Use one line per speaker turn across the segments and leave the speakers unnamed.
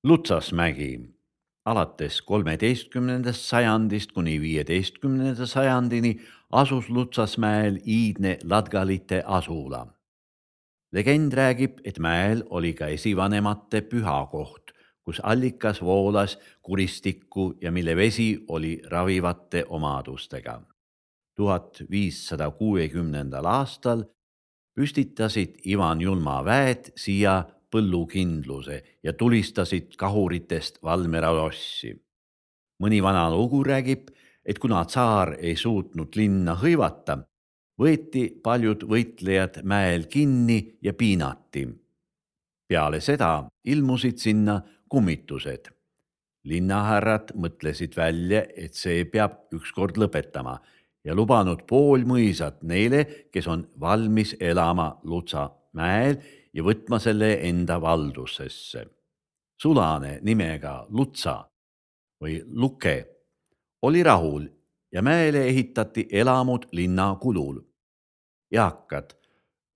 Lutsasmägi. Alates 13. sajandist kuni 15. sajandini asus Lutsasmäel iidne ladgalite asula. Legend räägib, et mäel oli ka esivanemate pühakoht, kus allikas voolas kuristikku ja mille vesi oli ravivate omadustega. 1560. aastal püstitasid Ivan Julma väed siia põllukindluse ja tulistasid kahuritest Valmiera lossi. Mõni vana lugu räägib, et kuna tsaar ei suutnud linna hõivata, võeti paljud võitlejad mäel kinni ja piinati. Peale seda ilmusid sinna kummitused. Linnahärrad mõtlesid välja, et see peab ükskord lõpetama ja lubanud pool mõisat neile, kes on valmis elama Lutsa mäel ja võtma selle enda valdusesse. Sulane nimega Lutsa või Luke oli rahul ja mäele ehitati elamud linna kulul. Eakad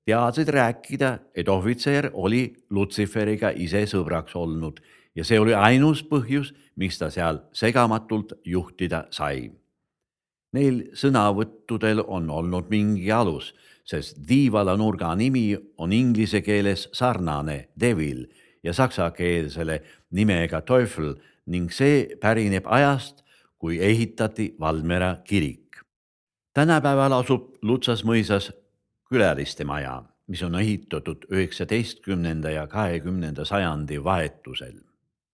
teadsid rääkida, et ohvitser oli Lutsiferiga ise sõbraks olnud ja see oli ainus põhjus, miks ta seal segamatult juhtida sai. Neil sõnavõttudel on olnud mingi alus, sest Tiivala nurga nimi on inglise keeles sarnane devil ja saksakeelsele nimega Teufel ning see pärineb ajast, kui ehitati Valmiera kirik. Tänapäeval asub Lutsas mõisas külaliste maja, mis on ehitatud 19. ja 20. sajandi vahetusel.